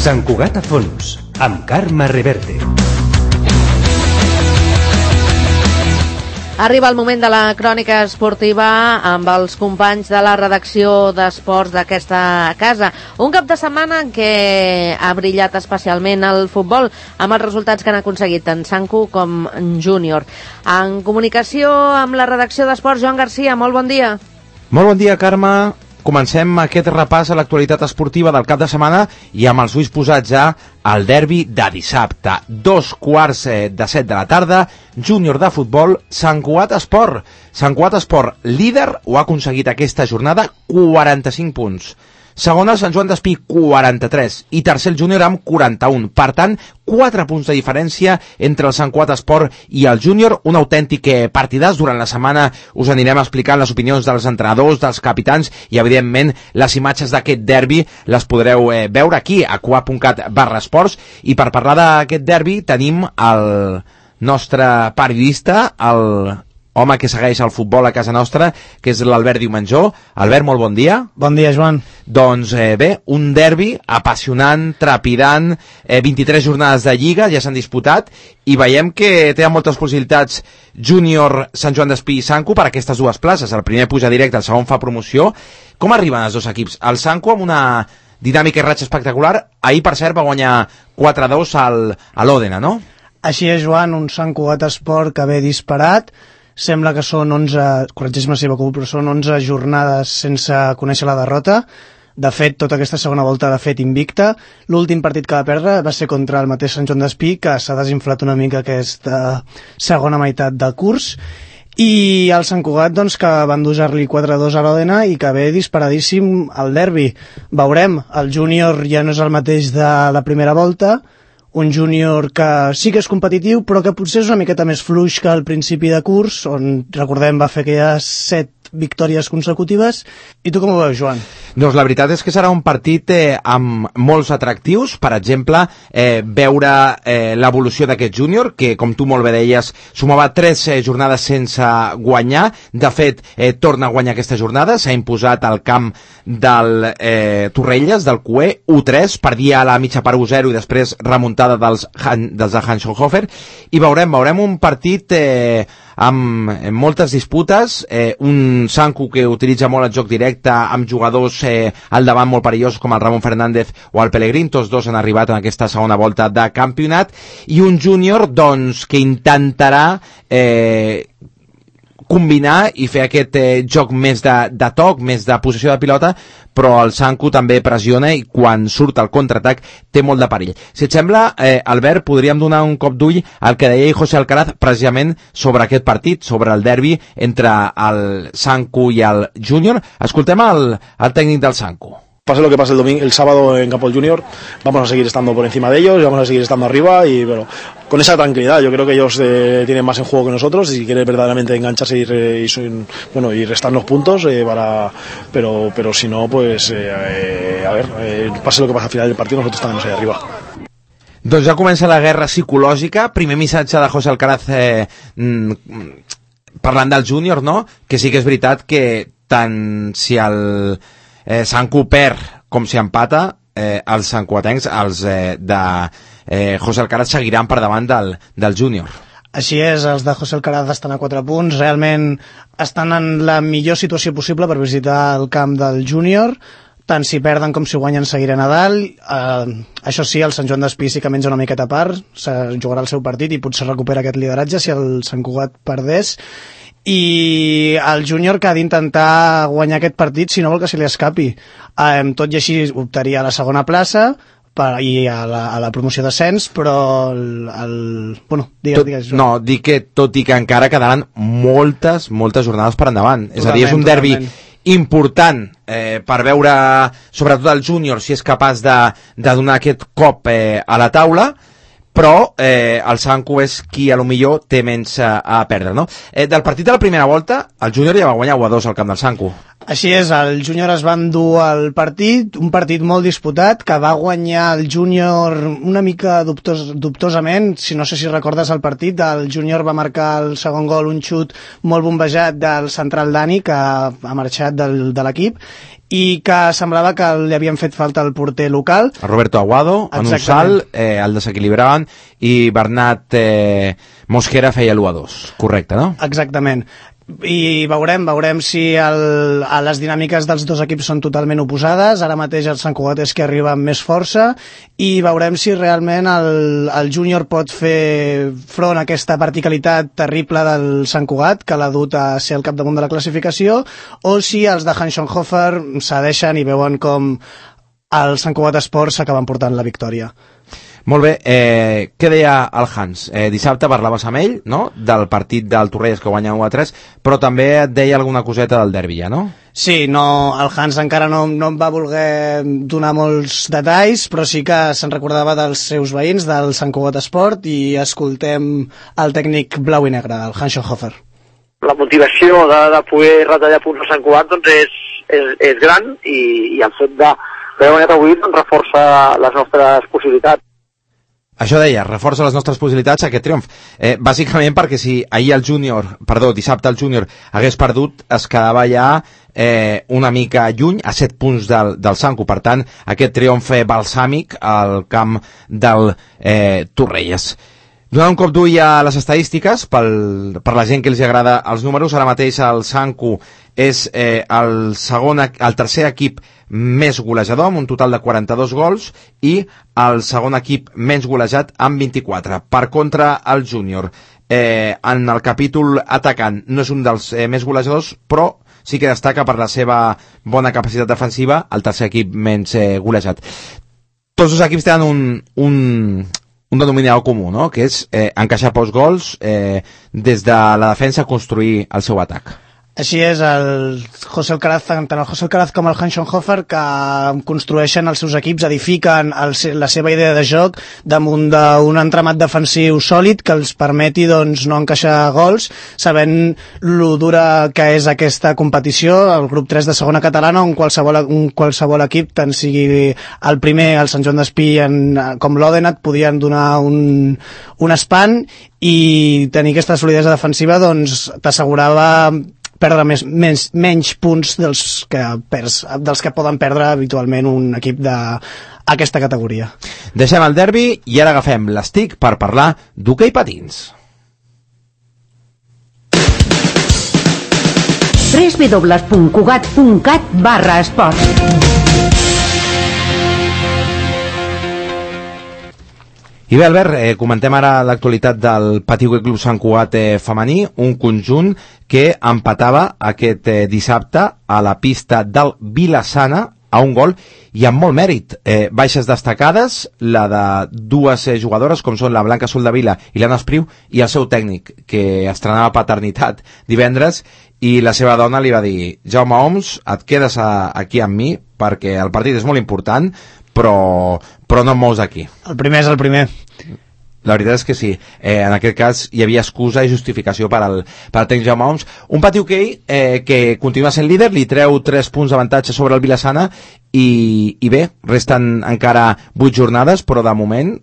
Sant Cugat a fons, amb Carme Reverte. Arriba el moment de la crònica esportiva amb els companys de la redacció d'esports d'aquesta casa. Un cap de setmana en què ha brillat especialment el futbol amb els resultats que han aconseguit tant Sanku com Júnior. En comunicació amb la redacció d'esports, Joan Garcia, molt bon dia. Molt bon dia, Carme. Comencem aquest repàs a l'actualitat esportiva del cap de setmana i amb els ulls posats ja al derbi de dissabte. 2:15 de la tarda, Júnior de futbol, Sant Cugat Esport. Sant Cugat Esport, líder, ho ha aconseguit aquesta jornada, 45 punts. Segon el Sant Joan d'Espí, 43, i tercer el Júnior amb 41. Per tant, 4 punts de diferència entre el Sant Cugat Esport i el Júnior. Un autèntic partidàs. Durant la setmana us anirem explicant les opinions dels entrenadors, dels capitans i, evidentment, les imatges d'aquest derbi les podreu veure aquí a cugat.cat/esports. I per parlar d'aquest derbi tenim el nostre periodista, el home que segueix el futbol a casa nostra, que és l'Albert Diumenjó. Albert, molt bon dia. Bon dia, Joan. Doncs bé, un derbi apassionant, trepidant, 23 jornades de Lliga ja s'han disputat i veiem que té moltes possibilitats Júnior, Sant Joan d'Espí i Sanku per aquestes dues places. El primer puja directe, el segon fa promoció. Com arriben els dos equips? El Sanku amb una dinàmica i ratxa espectacular. Ahir, per cert, va guanyar 4-2 a l'Òdena, no? Així és, Joan, un Sant Cugat Esport que ve disparat. Sembla que són 11, corregeix-me si m'equivoco, però són 11 jornades sense conèixer la derrota. De fet, tota aquesta segona volta l'ha fet invicta. L'últim partit que va perdre va ser contra el mateix Sant Joan d'Espí, que s'ha desinflat una mica aquesta segona meitat del curs. I el Sant Cugat, doncs, que va endur-li 4-2 a l'Òdena i que ve disparadíssim al derbi. Veurem, el Júnior ja no és el mateix de la primera volta, un Júnior que sí que és competitiu, però que potser és una miqueta més fluix que al principi de curs, on, recordem, va fer aquelles 7 victòries consecutives. I tu com ho veus, Joan? Doncs la veritat és que serà un partit amb molts atractius. Per exemple, veure l'evolució d'aquest Júnior, que, com tu molt bé deies, sumava 3 jornades sense guanyar. De fet, torna a guanyar aquesta jornada. S'ha imposat al camp del Torrelles, del Cué, 1-3, perdia a la mitja part 1-0 i després remuntada dels de Hanschenhofer. I veurem un partit amb moltes disputes, un Sanku que utilitza molt el joc directe, amb jugadors al davant molt perillosos com el Ramon Fernández o el Pellegrín. Tots dos han arribat en aquesta segona volta de campionat, i un Júnior, doncs, que intentarà combinar i fer aquest joc més de toc, més de possessió de pilota, però el Sanku també pressiona i quan surt al contraatac té molt de perill. Si et sembla, Albert, podríem donar un cop d'ull al que deia José Alcaraz precisament sobre aquest partit, sobre el derbi entre el Sanku i el Júnior. Escoltem el tècnic del Sanku. Pase lo que pase el sábado en Campo del Junior, vamos a seguir estando por encima de ellos, vamos a seguir estando arriba y bueno, con esa tranquilidad. Yo creo que ellos tienen más en juego que nosotros y si quieren verdaderamente engancharse y restarnos puntos, pero si no, pues pase lo que pase al final del partido, nosotros estaremos ahí arriba. Doncs ja comença la guerra psicològica. Primer missatge de José Alcaraz parlant del Júnior, no? Que sí que és veritat que tant si el Sanku perd com si empata, els sancuatencs, els de José Alcaraz, seguiran per davant del Júnior. Així és, els de José Alcaraz estan a 4 punts, realment estan en la millor situació possible per visitar el camp del Júnior. Tant si perden com si guanyen seguiran a dalt. Això sí, el Sant Joan d'Espí sí que menja una miqueta a part, jugarà el seu partit i potser recupera aquest lideratge si el Sant Cugat perdés. I el Júnior, que ha d'intentar guanyar aquest partit si no vol que se li escapi. Tot i així optaria a la segona plaça i a la promoció d'ascens, però digues. No, dic que tot i que encara quedaran moltes jornades per endavant. És a dir, és un derbi important per veure sobretot el Júnior si és capaç de donar aquest cop a la taula, però el Sanku és qui a lo millor té menys a perdre, no? Del partit de la primera volta, el Júnior ja va guanyar 1-2 al camp del Sanku. Així és, el júnior es va endur el partit, un partit molt disputat, que va guanyar el júnior una mica dubtosament. Si no sé si recordes el partit, el júnior va marcar el segon gol, un xut molt bombejat del central Dani, que ha marxat de l'equip, i que semblava que li havien fet falta al porter local. El Roberto Aguado, en un salt, el desequilibraven, i Bernat Mosquera feia l'1-2. Correcte, no? Exactament. I veurem si les dinàmiques dels dos equips són totalment oposades. Ara mateix el Sant Cugat és que arriba amb més força, i veurem si realment el júnior pot fer front a aquesta verticalitat terrible del Sant Cugat, que l'ha dut a ser el capdamunt de la classificació, o si els de Hans-Schönhofer cedeixen i veuen com el Sant Cugat Esport s'acaben portant la victòria. Molt bé, què deia el Hans? Dissabte parlaves amb ell, no?, del partit del Torrelles que guanya 1-3, però també et deia alguna coseta del derbi, ja, no? Sí, no, el Hans encara no em va voler donar molts detalls, però sí que se'n recordava dels seus veïns, del Sant Cugat Esport, i escoltem el tècnic blau i negre, el Hans-Schönhofer. La motivació de poder retallar punts al Sant Cugat doncs és gran, i el fet d'haver guanyat avui doncs, reforça les nostres possibilitats. Això deia, reforça les nostres possibilitats aquest triomf. Bàsicament perquè si dissabte el júnior hagués perdut, es quedava ja una mica lluny, a 7 punts del Sanco. Per tant, aquest triomf balsàmic al camp del Torrelles. Donant un cop d'ull a les estadístiques, per la gent que els agrada els números, ara mateix el Sanco és el tercer equip més golejador, amb un total de 42 gols, i el segon equip menys golejat amb 24. Per contra, el júnior, en el capítol atacant, no és un dels més golejadors, però sí que destaca per la seva bona capacitat defensiva, el tercer equip menys golejat. Tots els equips tenen un denominador comú, no?, que és encaixar pocs gols, des de la defensa construir el seu atac. Així és, el José Alcaraz, tant el José Alcaraz com el Hans-Schönhofer, que construeixen els seus equips, edifiquen la seva idea de joc damunt d'un entramat defensiu sòlid que els permeti doncs, no encaixar gols, sabent lo dura que és aquesta competició, el grup 3 de segona catalana, on qualsevol equip, tant sigui el primer, el Sant Joan d'Espí, com l'Odenat, podien donar un espant, i tenir aquesta solidesa defensiva doncs, t'assegurava perdre menys punts dels que poden perdre habitualment un equip d'aquesta categoria. Deixem el derbi i ara agafem l'estic per parlar d'hoquei patins. www.cugat.cat/esports. I bé, Albert, comentem ara l'actualitat del Patí Hoquei Club Sant Cugat femení, un conjunt que empatava aquest dissabte a la pista del Vila-sana a un gol i amb molt mèrit. Baixes destacades, la de dues jugadores, com són la Blanca Soldavila i l'Anna Espriu, i el seu tècnic, que estrenava paternitat divendres, i la seva dona li va dir: Jaume Oms, et quedes aquí amb mi, perquè el partit és molt important, però no et mous aquí. El primer és el primer. La veritat és que sí. En aquest cas hi havia excusa i justificació per al tècnic Jaume Oms. Un Patí Hoquei que continua sent líder, li treu 3 punts d'avantatge sobre el Vila-sana, i bé, resten encara 8 jornades, però de moment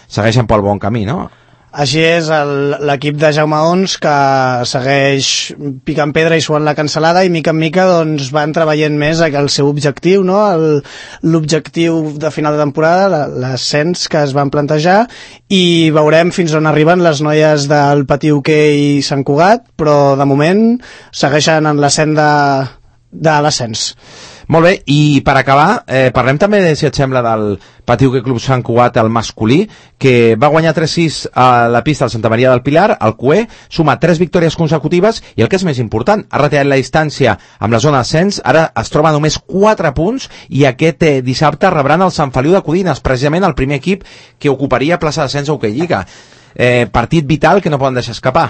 segueixen pel bon camí, no? Així és, l'equip de Jaume Ons, que segueix picant pedra i suant la cansalada, i mica en mica doncs, van treballant més el seu objectiu, no? L'objectiu de final de temporada, l'ascens que es van plantejar, i veurem fins on arriben les noies del Patí Hoquei Sant Cugat, però de moment segueixen en la senda de l'ascens. Molt bé, i per acabar, parlem també, si et sembla, del Patí Hoquei Club Sant Cugat, el masculí, que va guanyar 3-6 a la pista del Santa Maria del Pilar, al CUE, suma 3 victòries consecutives, i el que és més important, ha retirat la distància amb la zona d'ascens, ara es troba només 4 punts, i aquest dissabte rebran el Sant Feliu de Codines, precisament el primer equip que ocuparia plaça d'ascens a Hoquei Lliga. Partit vital que no poden deixar escapar.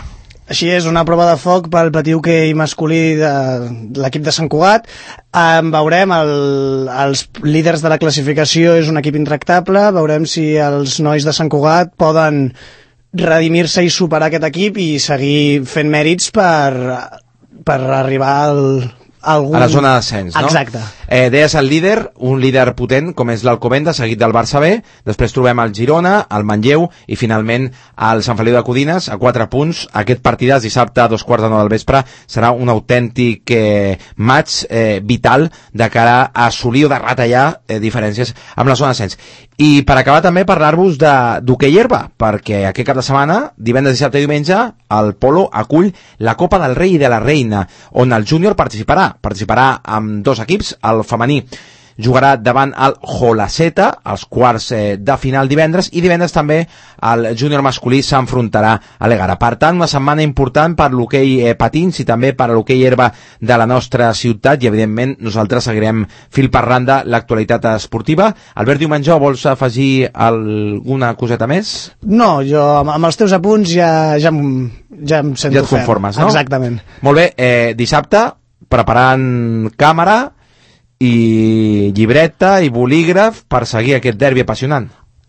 Així és, una prova de foc pel Patí Hoquei masculí de l'equip de Sant Cugat. Veurem, els líders de la classificació és un equip intractable, veurem si els nois de Sant Cugat poden redimir-se i superar aquest equip i seguir fent mèrits per arribar a la zona d'ascens, no? Exacte. Deies el líder, un líder potent com és l'Alcobendas, seguit del Barça B, després trobem el Girona, el Manlleu i finalment el Sant Feliu de Codines a 4 punts. Aquest partidàs dissabte a 2:45 del vespre serà un autèntic match vital de cara a assolir o de retallar diferències amb la zona d'ascens. I per acabar també parlar-vos d'hoquei herba, perquè aquest cap de setmana, divendres, dissabte i diumenge, el Polo acull la Copa del Rei i de la Reina, on el júnior participarà amb 2 equips. El femení jugarà davant el Jolaceta, als quarts de final divendres, i divendres també el júnior masculí s'enfrontarà a l'Egara. Per tant, una setmana important per l'hoquei patins i també per l'hoquei herba de la nostra ciutat, i evidentment nosaltres seguirem fil per randa l'actualitat esportiva. Albert Diumengó, vols afegir alguna coseta més? No, jo amb els teus apunts ja em sento ja et conformes, ferm. No? Exactament. Molt bé, dissabte preparant càmera i llibreta i bolígraf per seguir aquest derbi apassionant.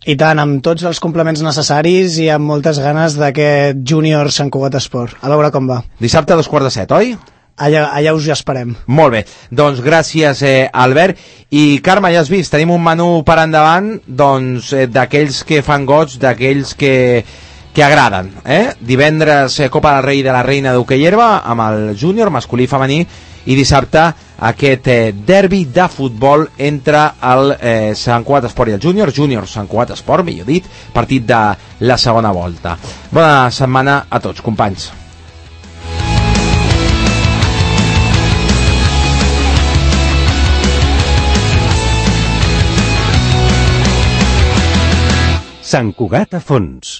I tant, amb tots els complements necessaris i amb moltes ganes d'aquest júnior Sant Cugat Esport. A veure com va. Dissabte a 2:45, oi? Allà us hi esperem. Molt bé, doncs gràcies Albert. I Carme, ja has vist, tenim un menú per endavant doncs d'aquells que fan goig, d'aquells que agraden, Divendres Copa del Rei i de la Reina d'hoquei herba amb el júnior masculí i femení, i dissabte aquest derbi de futbol entre el Sant Cugat Esport i el júnior Sant Cugat Esport, millor dit, partit de la segona volta. Bona setmana a tots, companys. Sant Cugat a fons.